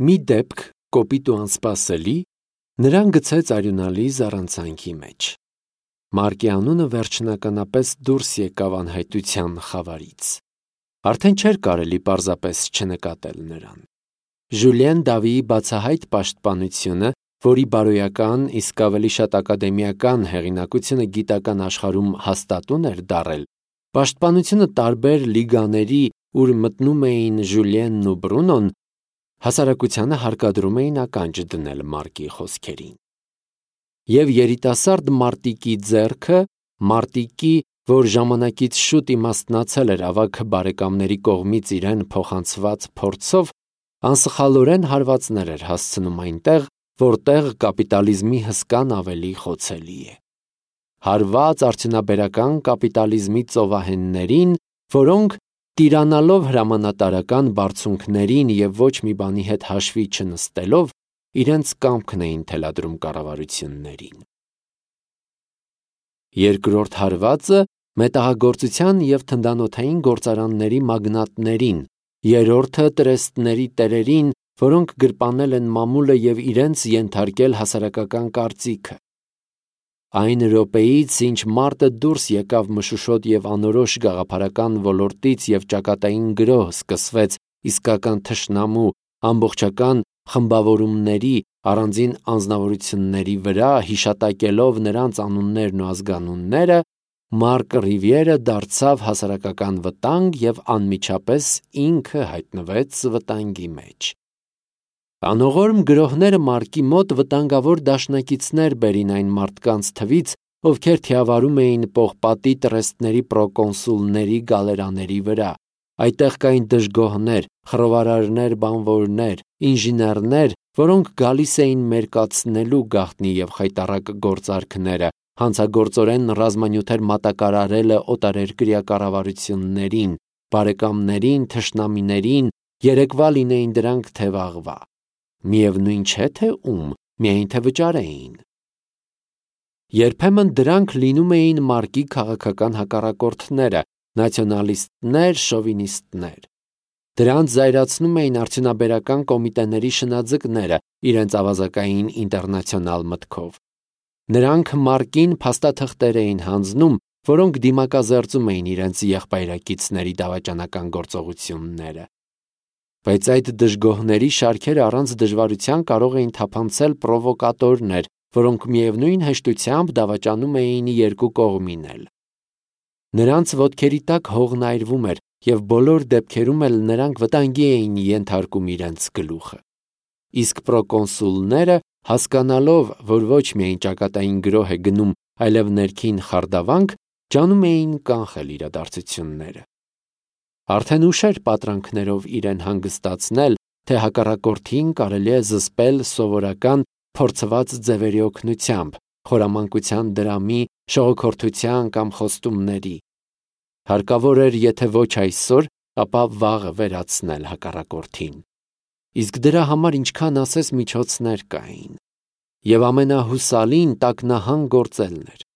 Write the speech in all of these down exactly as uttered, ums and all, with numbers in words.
Մի դեպք կոպիտ ու անսպասելի նրան գցեց արյունալի զառանցանքի մեջ։ Մարկի անունը վերջնականապես դուրս եկավ անհայտության խավարից։ Արդեն չէր կարելի պարզապես չնկատել նրան։ Ժուլիեն Դավիի բացահայտ պաշտպանությունը, որի բարոյական, իսկ ավելի շատ ակադեմիական հեղինակությունը գիտական աշխարհում հաստատուն էր դարել, պաշտպանությունը տարբեր լիգաների, ուր մտնում էին Ժուլիենն ու Բրունոն, հասարակությանը հարկադրում էին ականջ դնել Մարկի խոսքերին։ Եվ երիտասարդ մարտիկի ձեռքը, մարտիկի, որ ժամանակից շուտ իմաստնացել էր ավագ բարեկամների կողմից իրեն փոխանցված փորձով, անսխալորեն հարվածներ էր հասցնում այնտեղ, որտեղ կապիտալիզմի հսկան ավելի խոցելի է։ Հարված արդյունաբերական կապիտալիզմի ծովահեններին, որոնք տիրանալով հրամանատարական բարձունքներին և ոչ մի բանի հետ հաշվի չնստելով, իրենց կամքն էին թելադրում կառավարություններին։ Երկրորդ հարվածը մետաղագործության և թնդանոթային գործարանների մագնատներին, երրորդը տրեստների տերերին, որոնք գրպանել են մամուլը և իրենց ենթարկել հասարակական կարծիքը։ Այն րոպեից, ինչ մարտը դուրս եկավ մշուշոտ և անորոշ գաղափարական ոլորտից և ճակատային գրոհ սկսվեց իսկական թշնամու, ամբողջական խմբավորումների, առանձին անձնավորությունների վրա, հիշատակելով նրանց անուններն ու ազգանունները, Մարկ Ռիվիերը դարձավ հասարակական վտանգ և անմիջապես ինքը հայտնվեց վտանգի մեջ։ Անողորմ գրոհները Մարկի մոտ վտանգավոր դաշնակիցներ բերին այն մարդկանց թվից, ովքեր թիավարում էին պողպատի տրեստների պրոկոնսուլների գալերաների վրա։ Այդտեղ կային դժգոհներ, խռովարարներ, բանվորներ, ինժեներներ, որոնք գալիս էին մերկացնելու գաղտնի և խայտառակ գործարքները, հանցագործորեն ռազմանյութեր մատակարարելը օտարերկրյա կառավարություններին, բարեկամներին, թշնամիներին, երեկվա լինեին դրանք թե վաղվա։ Միևնույն չէ, թե ում, միայն թե վճարեին։ Երբեմն դրանք լինում էին Մարկի քաղաքական հակառակորդները, նացիոնալիստներ, շովինիստներ։ Դրանց զայրացնում էին արդյունաբերական կոմիտեների շնաձկները իրենց ավազակային ինտերնացիոնալ մտքով։ Նրանք Մարկին փաստաթղթեր էին հանձնում, որոնք դիմակազերծում էին իրենց եղբայրակիցների դավաճանական գործողությունները։ Բայց այդ դժգոհների շարքերը առանց դժվարության կարող էին թափանցել պրովոկատորներ, որոնք միևնույն հեշտությամբ դավաճանում էին երկու կողմին էլ։ Նրանց ոտքերի տակ հողն այրվում էր, և բոլոր դեպքերում էլ նրանք վտանգի էին ենթարկում իրենց գլուխը։ Իսկ պրոկոնսուլները, հասկանալով, որ ոչ միայն ճակատային գրոհ է գնում, այլև ներքին խարդավանք, ջանում էին կանխել իրադարձությունները։ Արդեն ուշ էր պատրանքներով իրեն հանգստացնել, թե հակառակորդին կարելի է զսպել սովորական փորձված ձևերի օգնությամբ, խորամանկության դրամի, շողոքորթության կամ խոստումների։ Հարկավոր էր, եթե ոչ այսօր, ապա վաղը վերացնել հակառակորդին։ Իսկ դրա համար ինչքան ասես միջոցներ կային։ Եվ ամենահուսալին տակնահան գործելն էր։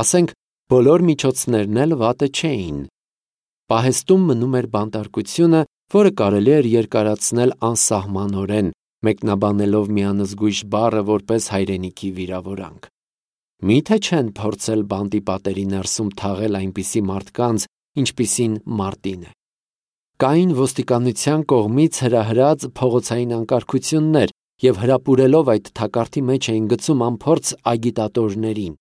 Ասենք, բոլոր միջոցներն էլ վատը չէին։ Պահեստում մնում էր բանտարկությունը, որը կարելի էր երկարացնել անսահմանորեն, մեկնաբանելով մի անզգույշ բառը որպես հայրենիքի վիրավորանք։ Մի՞թե չեն փորձել բանտի պատերի ներսում թաղել այնպիսի մարդկանց, ինչպիսին Մարտին է։ Կային ոստիկանության կողմից հրահրած փողոցային անկարգություններ, և հրապուրելով այդ թակարդի մեջ էին գցում անփորձ ագիտատորներին։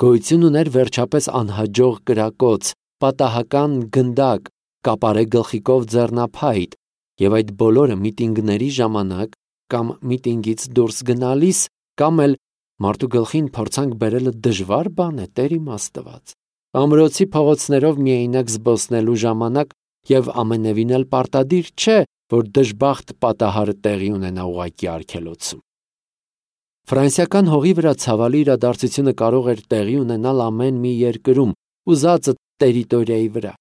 Գոյություն ուներ վերջապես անհաջող կրակոց, պատահական գնդակ, կապարե գլխիկով ձեռնափայտ, և այդ բոլորը միտինգների ժամանակ կամ միտինգից դուրս գնալիս, կամ էլ մարդու գլխին փորձանք բերելը դժվար բան է, Տեր իմ Աստված, ամրոցի փողոցներով միայնակ զբոսնելու ժամանակ, և ամենևին էլ պարտադիր չէ, որ դժբախտ պատահարը տեղի ունենա ուղղակի արգելոցում։ Ֆրանսիական հողի վրա ցավալի իրադարձությունը կարող էր տեղի ունենալ ամեն մի երկրում, ուզածը տերիտորիայի վրա։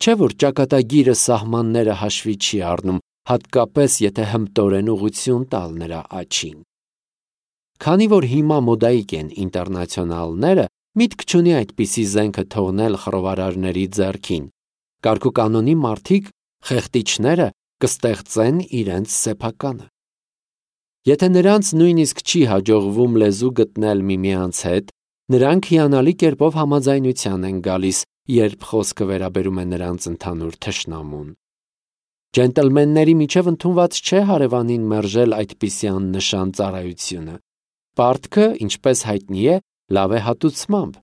Չէ՞ որ ճակատագիրը սահմանները հաշվի չի առնում, հատկապես եթե հմտորեն ուղղություն տալ նրա աջին։ Քանի որ հիմա մոդայիկ են ինտերնացիոնալները, միտք չունի այդպիսի զենքը թողնել խռովարարների ձեռքին։ Կարգուկանոնի մարդիկ, խեղտիչները կստեղծեն իրենց սեփականը։ Եթե նրանց նույնիսկ չի հաջողվում լեզու գտնել միմյանց հետ, նրանք հիանալի կերպով համաձայնության են գալիս, երբ խոսքը վերաբերում է նրանց ընդհանուր թշնամուն։ Ջենտլմենների միջև ընդունված չէ հարևանին մերժել այդպիսի աննշան ծառայությունը։ Պարտքը, ինչպես հայտնի է, լավ է հատուցմամբ։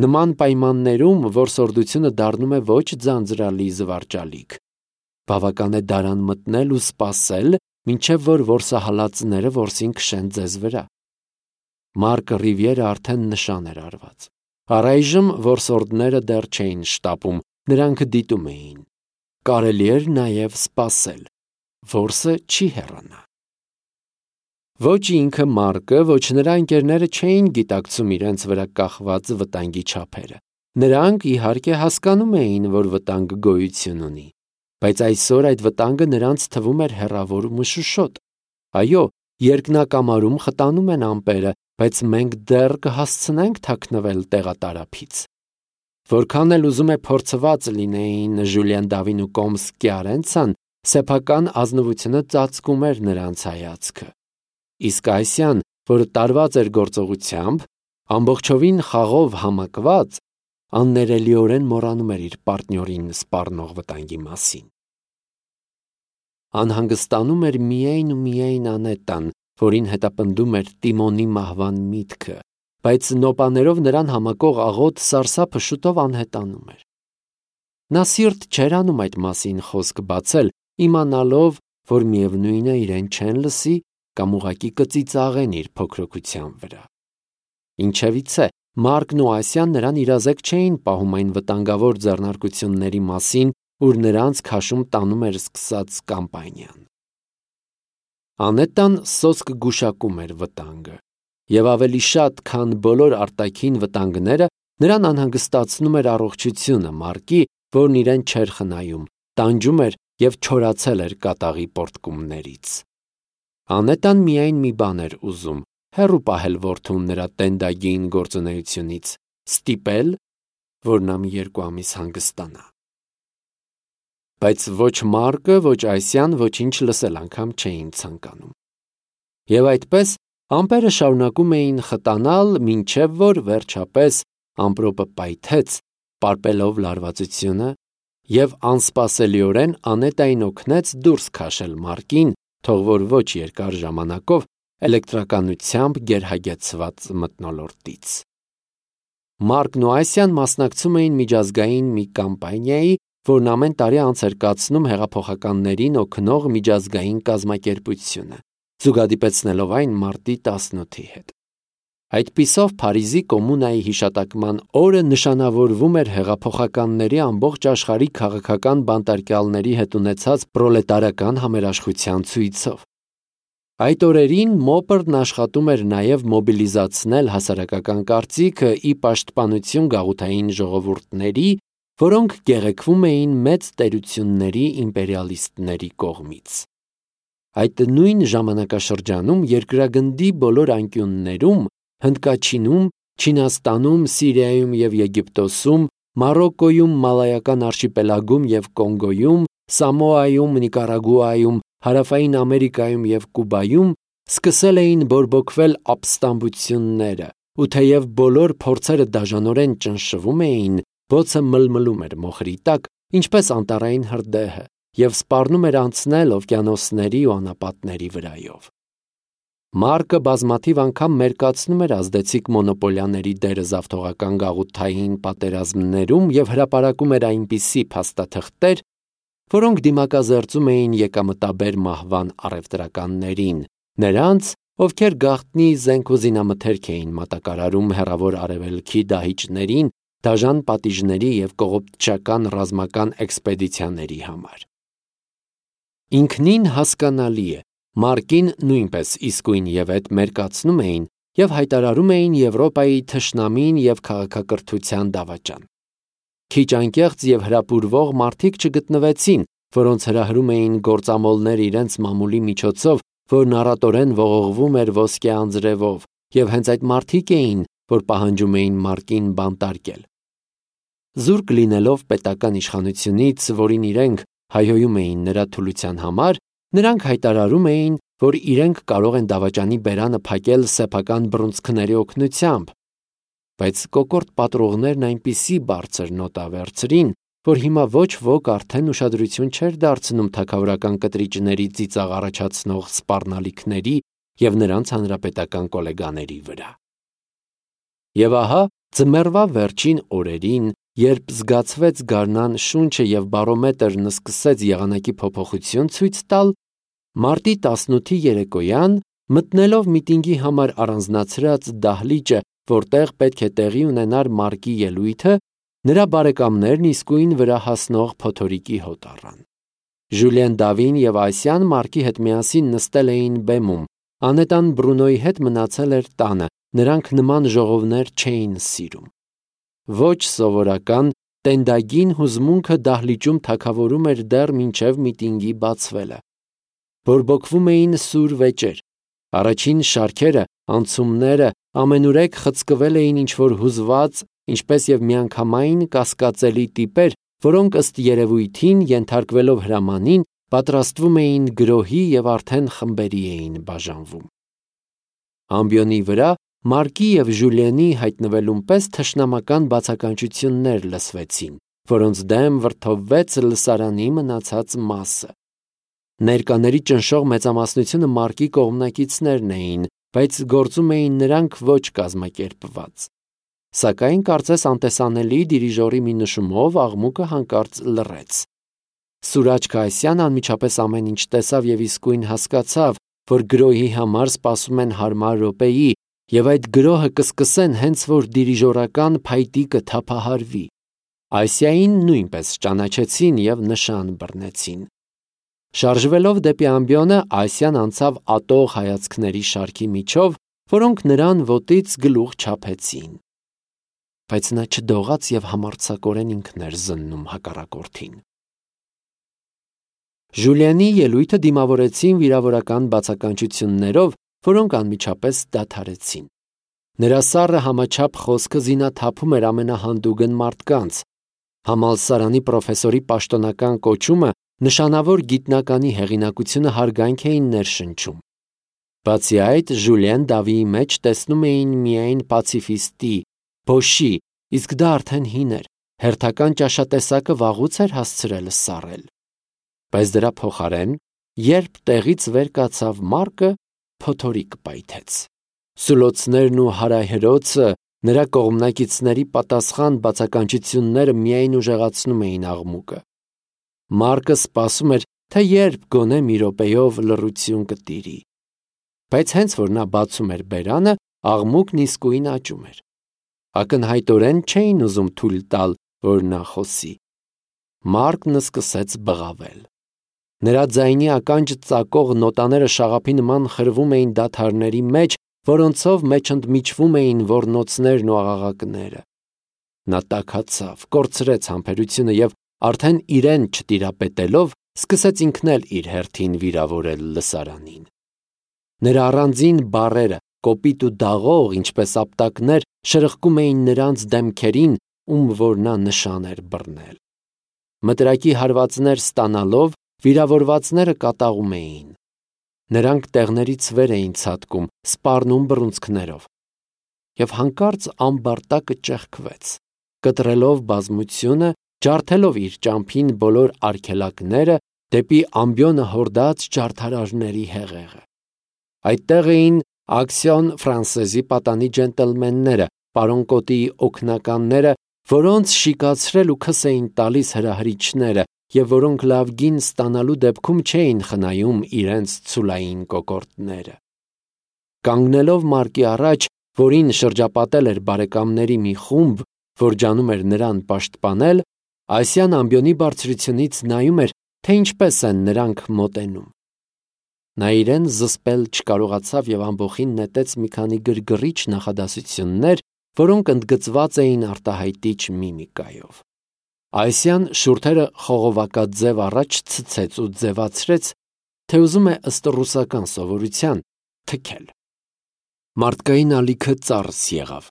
Նման պայմաններում որսորդությունը դառնում է ոչ ձանձրալի զվարճալիք։ Բավական է դարան մտնել ու սպասել, մինչև որ որսահալածները որսին քշեն ձեզ վրա։ Մարկը Ռիվիերը արդեն նշան էր արված։ Առայժմ որսորդները դեռ չէին շտապում, նրանք դիտում էին։ Կարելի էր նաև սպասել։ Որսը չի հեռանա։ Ոչ ինքը Մարկը, ոչ նրա ընկերները չէին գիտակցում իրենց վրա կախված վտանգի չափերը։ Նրանք, իհարկե, հասկանում էին, որ վտանգը գոյություն ունի, բայց այսօր այդ վտանգը նրանց թվում էր հեռավոր ու մշուշոտ։ Այո, երկնակամարում խտանում են ամպերը, բայց մենք դեռ կհասցնենք թաքնվել տեղատարափից։ Որքան էլ ուզում է փորձված լինեին Ժուլիան Դավին ու Կոմսկի Արենցան, սեփական ազնվությունը ծածկում էր նրանց հայացքը։ Իսկ Այսյան, որը տարված էր գործողությամբ, ամբողջովին խաղով համակված, աններելիորեն մոռանում էր իր պարտնյորին սպառնող վտանգի մասին։ Անհանգստանում էր միայն ու միայն Անետան, որին հետապնդում էր Տիմոնի մահվան միտքը, բայց նոպաներով նրան համակող աղոտ սարսափը շուտով անհետանում էր։ Նա սիրտ չէր անում այդ մասին խոսք բացել, իմանալով, որ միևնույն է իրեն չեն լսի կամ ուղղակի կծիծաղեն իր փոքրοκության վրա։ Ինչևիցե, Մարկն ու Ասյան նրան իրազեկ չէին պահում այն վտանգավոր ձեռնարկությունների մասին, ուր նրանց քաշում տանում էր սկսած կամպանիան։ Անետան սոսկ գուշակում էր վտանգը, եւ ավելի շատ, քան բոլոր արտաքին վտանգները, նրան անհանգստացնում էր առողջությունը Մարկի, որն իրեն չէր խնայում, տանջում էր եւ չորացել էր կատաղի պոռթկումներից։ Անետան միայն մի բան էր ուզում՝ հեռու պահել որդուն նրա տենդագին գործունեությունից, ստիպել, որ նա մի երկու ամիս հանգստանա։ Բայց ոչ Մարկը, ոչ Այսյան ոչինչ լսել անգամ չէին ցանկանում։ Եվ այդպես ամպերը շարունակում էին խտանալ, մինչև որ վերջապես ամպրոպը պայթեց, պարպելով լարվածությունը, եւ անսպասելիորեն Անետային օգնեց դուրս քաշել Մարկին, թող որ ոչ երկար ժամանակով էլեկտրականությամբ գերհագեցված մթնոլորտից։ Մարկն ու Այսյան մասնակցում էին միջազգային մի կամպանիայի, որն ամեն տարի անց էր կացնում հեղափոխականներին օգնող միջազգային կազմակերպությունը, զուգադիպեցնելով այն մարտի տասնութի հետ։ Այդպիսով Փարիզի կոմունայի հիշատակման օրը նշանավորվում էր հեղափոխականների ամբողջ աշխարհի քաղաքական բանտարկյալների հետ ունեցած պրոլետարական համերաշխության ցույցով։ Այդ օրերին Մոպրն աշխատում էր նաև մոբիլիզացնել հասարակական կարծիքը ի պաշտպանություն գաղութային ժողովուրդների, որոնք գեղեցկվում էին մեծ տերությունների իմպերիալիստների կողմից։ Այդ նույն ժամանակաշրջանում երկրագնդի բոլոր անկյուններում, Հնդկաչինում, Չինաստանում, Սիրիայում և Եգիպտոսում, Մարոկկոյում, Մալայական արշիպելագում և Կոնգոյում, Սամոայում, Նիկարագուայում, Հարավային Ամերիկայում և Կուբայում սկսել էին բորբոքվել ապստամբությունները, ու թեև բոլոր փորձերը դաժանորեն ճնշվում էին, բոցը մլմլում էր մոխրի տակ, ինչպես անտառային հրդեհը, և սպառնում էր անցնել օվկիանոսների ու անապատների վրայով։ Մարկը բազմաթիվ անգամ մերկացնում էր ազդեցիկ մոնոպոլիաների դերը զավթողական գաղութային պատերազմներում և հրապարակում էր այնպիսի փաստաթղթեր, որոնք դիմակազերծում էին եկամտաբեր մահվան առևտրականներին, նրանց, ովքեր գաղտնի զենք ու զինամթերք էին մատակարարում հեռավոր արևելքի դահիճներին, դաժան պատիժների և կողոպտչական ռազմական էքսպեդիցիաների համար։ Ինքնին հասկանալի է, Մարկին նույնպես իսկույն և էդ մերկացնում էին և հայտարարում էին Եվրոպայի թշնամին և քաղաքակրթության դավաճան։ Քիչ անկեղծ և հրապուրվող մարդիկ չգտնվեցին, որոնց հրահրում էին գործամոլներ իրենց մամուլի միջոցով, որն առատորեն ողողվում էր ոսկե անձրևով, և հենց այդ մարդիկ էին, որ պահանջում էին Մարկին բանտարկել։ Զուրկ լինելով պետական իշխանությունից, որին իրենք հայհոյում էին նրա թուլության համար, նրանք հայտարարում էին, որ իրենք կարող են դավաճանի բերանը փակել սեփական բռունցքների օգնությամբ, բայց կոկորտ պատրողներն այնպիսի բարձր նոտա վերցրին, որ հիմա ոչ ոք արդեն ուշադրություն չէր դարձնում թագավորական կտրիճների ծիծաղ առաջացնող սպառնալիքների և նրանց հանրապետական կոլեգաների վրա։ Եվ ահա ձմեռվա վերջին օրերին, երբ զգացվեց գարնան շունչը և բարոմետրն սկսեց եղանակի փոփոխություն ցույց տալ, մարտի տասնութի երեկոյան, մտնելով միտինգի համար առանձնացրած դահլիճը, որտեղ պետք է տեղի ունենար Մարկի ելույթը, նրա բարեկամներն իսկույն վրա հասնող փոթորիկի հոտ առան։ Ժուլիեն Դավին և Այսիան Մարկի հետ միասին նստել էին բեմում, անետան Բրունոյի հետ մնացել էր տանը, նրանք նման ժողովներ չէին սիրում։ Ոչ սովորական, տենդագին հուզմունքը դահլիճում թագավորում էր դեռ մինչև միտինգի բացվելը։ Բորբոքվում էին սուր վեճեր։ Առաջին շարքերը, անցումները ամենուրեք խցկվել էին ինչ-որ հուզված, ինչպես և միանգամայն կասկածելի տիպեր, որոնք ըստ երևույթին, ենթարկվելով հրամանին, պատրաստվում էին գրոհի և արդեն խմբերի էին բաժանվում։ Ամբիոնի վրա Մարկի և Ժուլիենի հայտնվելուն պես թշնամական բացականչություններ լսվեցին, որոնց դեմ վրդովվեց լսարանի մնացած մասը։ Ներկաների ճնշող մեծամասնությունը Մարկի կողմնակիցներն էին, բայց գործում էին նրանք ոչ կազմակերպված։ Սակայն կարծես անտեսանելի դիրիժորի մի նշումով աղմուկը հանկարծ լռեց։ Սուրաճ Այսիան անմիջապես ամեն ինչ տեսավ և իսկույն հասկացավ, որ գրոհի համար սպասում են հարմար րոպեի, և այդ գրոհը կսկսեն հենց որ դիրիժորական փայտիկը թափահարվի։ Այսիային նույնպես ճանաչեցին և նշան բռնեցին։ Շարժվելով դեպի ամբիոնը, Այսիան անցավ ատող հայացքների շարքի միջով, որոնք նրան ոտից գլուխ չափեցին։ Բայց նա չդողաց և համարձակորեն ինքն էր զննում հակառակորդին։ Ժուլիենի ելույթը դիմավորեցին վիրավորական բացականչություններով, որոնք անմիջապես դադարեցին։ Նրա սառը համաչափ խոսքը զինաթափում էր ամենահանդուգն մարդկանց։ Համալսարանի պրոֆեսորի պաշտոնական կոչումը նշանավոր գիտնականի հեղինակությունը հարգանք էին ներշնչում։ Բացի այդ, Ժուլիեն Դավիի մեջ տեսնում էին միայն պացիֆիստի, փոշի, իսկ դա արդեն հին էր, հերթական ճաշատեսակը վաղուց էր հասցրել սառել։ Բայց դրա փոխարեն, երբ տեղից վեր կացավ Մարկը, փոթորիկ պայթեց։ Սուլոցներն ու հարահրոցը, նրա կողմնակիցների պատասխան բացականչությունները միայն ուժեղացնում էին աղմուկը։ Մարկը սպասում էր, թե երբ գոնե մի րոպեով լռություն կտիրի։ Բայց հենց որ նա բացում էր բերանը, աղմուկն իսկույն աճում էր։ Ակնհայտորեն չէին ուզում թույլ տալ, որ նա խոսի։ Մարկն սկսեց բղավել։ Նրա ձայնի ականջ ծակող նոտաները շաղափի նման խրվում էին դադարների մեջ, որոնցով մեջընդմիջվում էին ոռնոցներն ու աղաղակները։ Նա տաքացավ, կորցրեց համբերությունը և արդեն իրեն չտիրապետելով, սկսեց ինքն էլ իր հերթին վիրավորել լսարանին։ Նրա առանձին բառերը, կոպիտ ու դաղող, ինչպես ապտակներ, շրխկում էին նրանց դեմքերին, ում որ նա նշան էր բռնել։ Մտրակի հարվածներ ստանալով, վիրավորվածները կատաղում էին։ Նրանք տեղներից վեր էին ցատկում, սպառնում բռունցքներով։ Եվ հանկարծ ամբարտակը ճեղքվեց, կտրելով բազմությունը, ջարդելով իր ճամփին բոլոր արգելակները դեպի ամբիոնը հորդած ջարդարարների հեղեղը։ Այդտեղ էին Ակսիոն Ֆրանսեզի պատանի ջենտլմենները, պարոն Կոտիի օգնականները, որոնց շիկացրել ու քս էին տալիս հրահրիչները, և որոնք լավ գին ստանալու դեպքում չէին խնայում իրենց ցուլային կոկորդները։ Կանգնելով Մարկի առաջ, որին շրջապատել էր բարեկամների մի խումբ, որ ջանում էր նրան պաշտպանել, Այսիան ամբիոնի բարձրությունից նայում էր, թե ինչպես են նրանք մոտենում։ Նա իրեն զսպել չկարողացավ և ամբոխին նետեց մի քանի գրգռիչ նախադասություններ, որոնք ընդգծված էին արտահայտիչ միմիկայով։ Այսիան շուրթերը խողովակաձև առաջ ցցեց ու ձևացրեց, թե ուզում է ըստ ռուսական սովորության թքել։ Մարդկային ալիքը ծարս եղավ։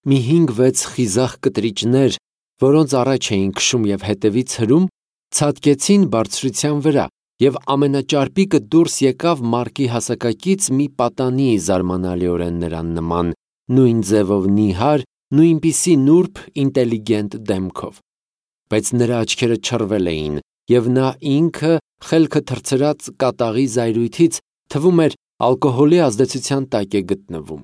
Մի հինգ-վեց խիզախ կտրիճներ, որոնց առաջ էին քշում և հետևից հրում, Ցատկեցին բարձրության վրա, եւ ամենաճարպիկը դուրս եկավ Մարկի հասակակից մի պատանի զարմանալիորեն նրան նման, նույն ձևով նիհար, նույնպիսի նուրբ, ինտելիգենտ դեմքով։ Բայց նրա աչքերը չռվել էին, եւ նա ինքը խելքը թռցրած կատաղի զայրույթից թվում էր ալկոհոլի ազդեցության տակ է գտնվում։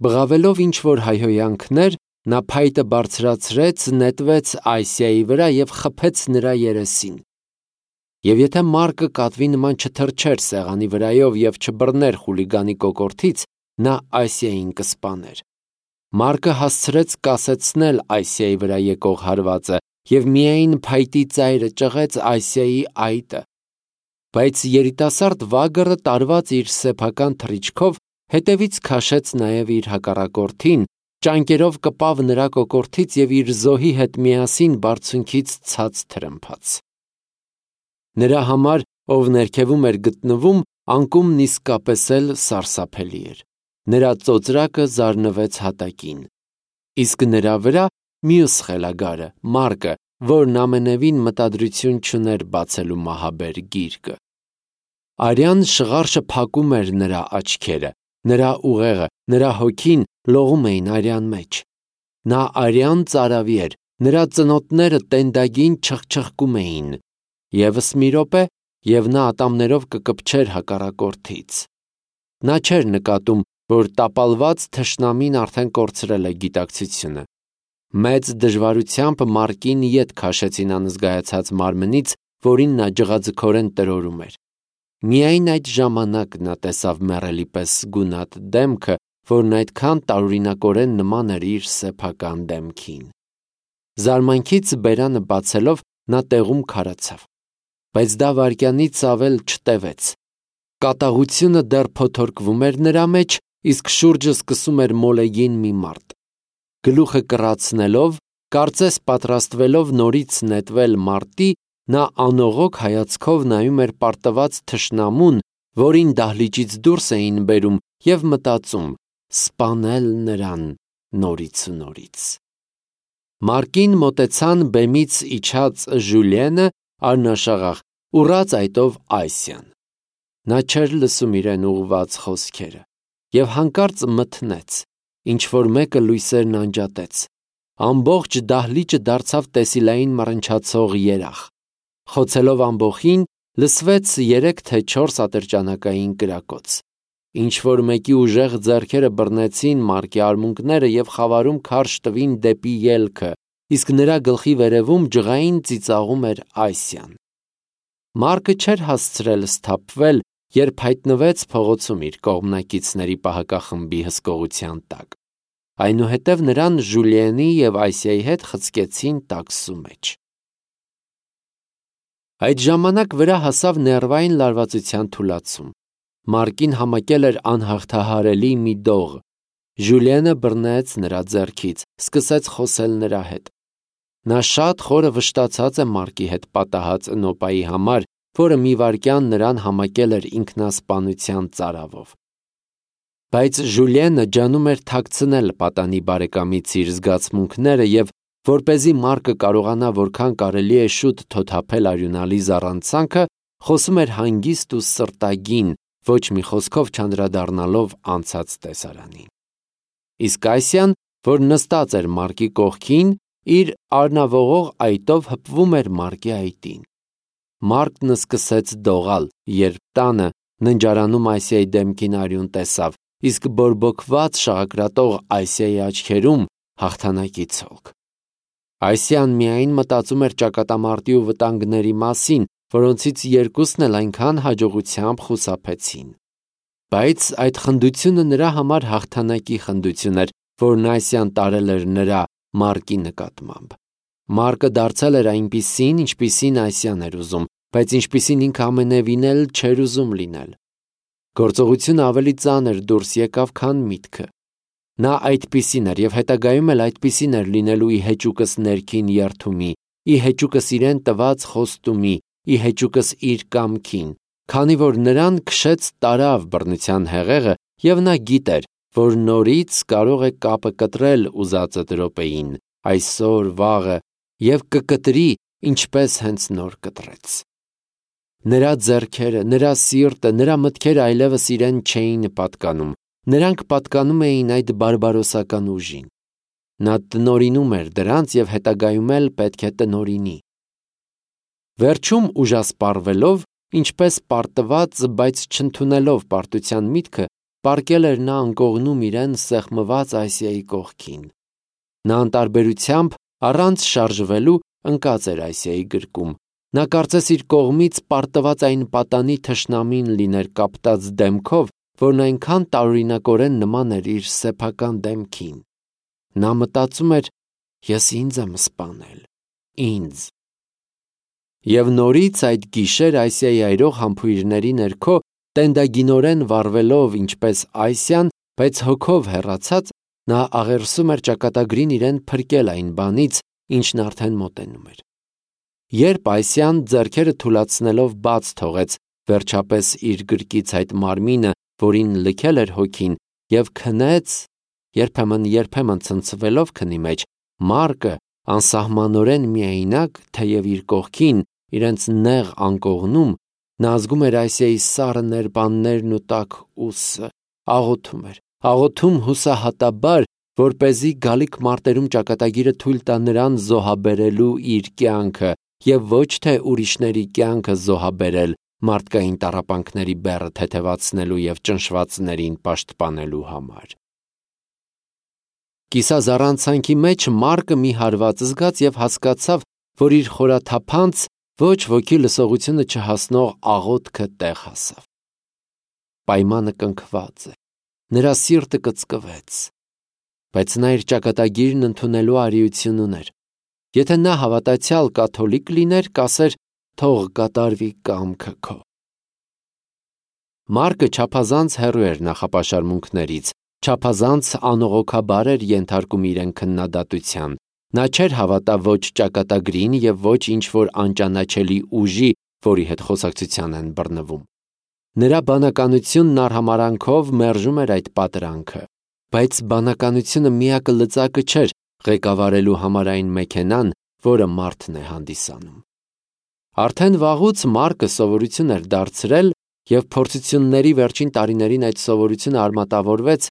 Բղավելով ինչ-որ հայհոյանքներ, նա փայտը բարձրացրեց, նետվեց Այսիայի վրա եւ խփեց նրա երեսին։ Եվ եթե Մարկը կատվի նման չթռչեր սեղանի վրայով եւ չբռներ խուլիգանի կոկորդից, նա Այսիային կսպաներ։ Մարկը հասցրեց կասեցնել Այսիայի վրա եկող հարվածը եւ միայն փայտի ծայրը ճղեց Այսիայի այտը։ Բայց երիտասարդ վագրը տարված իր սեփական թռիչքով հետևից քաշեց նաեւ իր հակառակորդին, ճանկերով կպավ նրա կոկորդից եւ իր զոհի հետ միասին բարձունքից ցած թրմփաց։ Նրա համար, ով ներքևում էր գտնվում, անկումն իսկապես էլ սարսափելի էր։ Նրա ծոծրակը զարնվեց հատակին։ Իսկ նրա վրա մյուս խելագարը, Մարկը, որն ամենևին մտադրություն չուներ բացելու մահաբեր գիրկը։ Արյան շղարշը փակում էր նրա աչքերը, նրա ուղեղը, նրա հոգին լողում էին արյան մեջ։ Նա արյան ծարավի էր, նրա ծնոտները տենդագին չխչխկում էին։ Եվս մի րոպե, եւ նա ատամներով կկպչեր հակառակորդից։ Նա չէր նկատում, որ տապալված թշնամին արդեն կորցրել է գիտակցությունը։ Մեծ դժվարությամբ Մարկին ետ քաշեցին անզգայացած մարմնից, որին նա ջղաձգորեն տրորում էր։ Միայն այդ ժամանակ նա տեսավ մեռելի պես գունատ դեմքը, որն այդքան տարօրինակորեն նման էր իր սեփական դեմքին։ Զարմանքից բերանը բացելով նա տեղում քարացավ, բայց դա վայրկյանից ավել չտևեց։ Կատաղությունը դեռ փոթորկվում էր նրա մեջ, իսկ շուրջը սկսում էր մոլեգին մի մարդ։ Գլուխը կռացնելով, կարծես պատրաստվելով նորից նետվել մարտի, նա անողոք հայացքով նայում էր պարտված թշնամուն, որին դահլիճից դուրս էին բերում, եւ մտածում. սպանել նրան նորից ու նորից։ Մարկին մոտեցան բեմից իջած Ժուլիենը, արնաշաղախ, ուռած այտով Այսիան։ Նա չէր լսում իրեն ուղված խոսքերը եւ հանկարծ մթնեց, ինչ որ մեկը լույսերն անջատեց։ Ամբողջ դահլիճը դարձավ տեսիլային մռնչացող երախ։ Խոցելով ամբոխին, լսվեց երեք թե չորս ատրճանակային կրակոց։ Ինչ որ մեկի ուժեղ ձեռքերը բռնեցին Մարկի արմունկները եւ խավարում քարշ տվին դեպի ելքը, իսկ նրա գլխի վերևում ջղային ծիծաղում էր Այսիան։ Մարկը չէր հասցրել սթափվել, երբ հայտնվեց փողոցում իր կողմնակիցների պահակախմբի հսկողության տակ։ Այնուհետև նրան Ժուլիենի եւ Այսիայի հետ խցկեցին տաքսու մեջ։ Այդ ժամանակ վրա հասավ ներվային լարվածության թուլացում։ Մարկին համակել էր անհաղթահարելի մի դող։ Ժուլիենը բռնեց նրա ձեռքից, սկսեց խոսել նրա հետ։ Նա շատ խորը վշտացած է Մարկի հետ պատահած նոպայի համար, որը մի վայրկյան նրան համակել էր ինքնասպանության ծարավով։ Բայց Ժուլիենը ջանում էր թաքցնել պատանի բարեկամից իր զգացմունքները եւ որպեսզի Մարկը կարողանա որքան կարելի է շուտ թոթափել արյունալի զառանցանքը, խոսում էր հանգիստ ու սրտագին, ոչ մի խոսքով չանդրադառնալով անցած տեսարանին։ Իսկ Այսիան, որ նստած էր Մարկի կողքին, իր արնավողող այտով հպվում էր Մարկի այտին։ Մարկն սկսեց դողալ, երբ տանը ննջարանում Այսիայի դեմքին արյուն տեսավ, իսկ բորբոքված շաղակրատող Այսիայի աչքերում հաղթանակի ցոլք։ Այսիան միայն մտածում էր ճակատամարտի ու վտանգների մասին, որոնցից երկուսն էլ այնքան հաջողությամբ խուսափեցին։ Բայց այդ խնդությունը նրա համար հաղթանակի խնդություն էր, որն Այսիան տարել էր նրա Մարկի նկատմամբ։ Մարկը դարձել էր այնպիսին, ինչպիսին Այսիան էր ուզում, բայց ինչպիսին ինքը ամենևին էլ չէր ուզում լինել։ Գործողությունը ավելի ծանր դուրս եկավ, քան միտքը։ Նա այդպիսին էր եւ հետագայում էլ այդպիսին էր լինելու ի հեճուկս ներքին երթումի, ի հեճուկս իրեն տված խոստումի, ի հեճուկս իր կամքին, քանի որ նրան քշեց տարավ բռնության հեղեղը եւ նա գիտեր, որ նորից կարող է կապը կտրել ուզածը րոպեին, այսօր, վաղը, եւ կկտրի, ինչպես հենց նոր կտրեց։ Նրա ձեռքերը, նրա սիրտը, նրա մտքերը այլևս իրեն չէին պատկանում, նրանք պատկանում էին այդ բարբարոսական ուժին։ Նա տնօրինում էր դրանց և հետագայում էլ պետք է տնօրինի։ Վերջում ուժասպառվելով, ինչպես պարտված, բայց չընդունելով պարտության միտքը, պառկել էր նա անկողնում իրեն սեղմված Ասիայի կողքին։ Նա անտարբերությամբ, առանց շարժվելու, ընկած էր Ասիայի գրկում։ Նա կարծես իր կողմից պարտված այն պատանի թշնամին լիներ կապտած դեմքով, որն այնքան տարօրինակորեն նման էր իր սեփական դեմքին։ Նա մտածում էր. «Ես ինձ եմ սպանել, ինձ»։ Եվ նորից այդ գիշեր Ասիայի այրող համբույրների ներքո, տենդագինորեն վառվելով ինչպես Ասիան, բայց հոգով հեռացած, նա աղերսում էր ճակատագրին իրեն փրկել այն բանից, ինչն արդեն մոտենում էր։ Երբ Ասիան ձեռքերը թուլացնելով բաց թողեց վերջապես իր գրկից այդ մարմինը, որին լքել էր հոգին, և քնեց, երբեմն-երբեմն ցնցվելով քնի մեջ, Մարկը անսահմանորեն միայնակ, թեև իր կողքին, իրենց նեղ անկողնում, նա զգում էր Ասիայի սառը ներբաններն ու տաք ուսը, աղոթում էր, աղոթում հուսահատաբար, որպեսզի գալիք մարտերում ճակատագիրը թույլ տա նրան զոհաբերելու իր կյանքը և ոչ թե ուրիշների կյանքը զոհաբերել մարդկային տառապանքների բեռը թեթևացնելու և ճնշվածներին պաշտպանելու համար։ Կիսազառանցանքի մեջ Մարկը մի հարված զգաց և հասկացավ, որ իր խորաթափանց, ոչ ոքի լսողությունը չհասնող աղոթքը տեղ հասավ։ Պայմանը կնքված է, նրա սիրտը կծկվեց, բայց նա իր ճակատագիրն ընդունելու արիություն ուներ։ Եթե նա հավատացյալ կաթոլիկ լիներ, կասեր. «Թող կատարվի կամքը քո»։ Մարկը չափազանց հեռու էր նախապաշարմունքներից, չափազանց անողոքաբար էր ենթարկում իրեն քննադատության։ Նա չէր հավատա ոչ ճակատագրին և ոչ ինչ-որ անճանաչելի ուժի, որի հետ խոսակցության են բռնվում։ Նրա բանականությունն արհամարհանքով մերժում էր այդ պատրանքը, բայց բանականությունը միակը լծակը չէր ղեկավարելու համար այն մեքենան, որը մարդն է հանդիսանում։ Արդեն վաղուց Մարկը սովորություն էր դարձրել և փորձությունների վերջին տարիներին այդ սովորությունը արմատավորվեց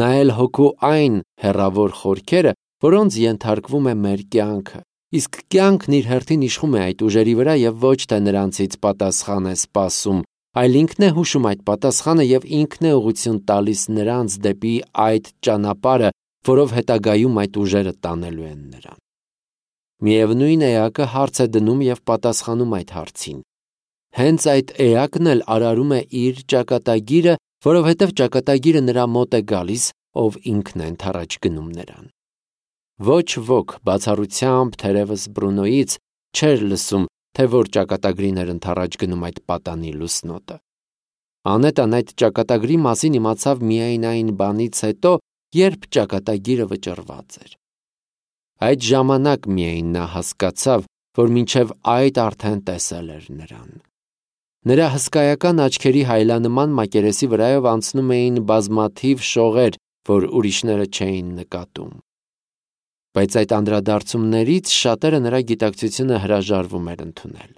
նայել հոգու այն հեռավոր խորքերը, որոնց ենթարկվում է մեր կյանքը, իսկ կյանքն իր հերթին իշխում է այդ ուժերի վրա և ոչ թե նրանցից պատասխան է սպասում, այլ ինքն է հուշում այդ պատասխանը և ինքն է ուղղություն տալիս նրանց դեպի այդ ճանապարհը, որով հետագայում այդ ուժերը տանելու են նրան։ Միևնույն էակը հարց է դնում և պատասխանում այդ հարցին։ Հենց այդ էակն էլ արարում է իր ճակատագիրը, որովհետև ճակատագիրը նրա մոտ է գալիս, ով ինքն է ընդառաջ գնում նրան։ Ոչ ոք բացառությամբ թերևս Բրունոյից չէր լսում, թե որ ճակատագրին էր ընդառաջ գնում այդ պատանի լուսնոտը։ Անետան այդ ճակատագրի մասին իմացավ միայն այն բանից հետո, երբ ճակատագիրը վճռված էր։ Այդ ժամանակ միայն նա հասկացավ, որ մինչև այդ արդեն տեսել էր նրան։ Նրա հսկայական աչքերի հայլանման մակերեսի վրայով անցնում էին բազմաթիվ շողեր, որ ուրիշները չէին նկատում։ Բայց այդ անդրադարձումներից շատերը նրա գիտակցությունը հրաժարվում էր ընդունել։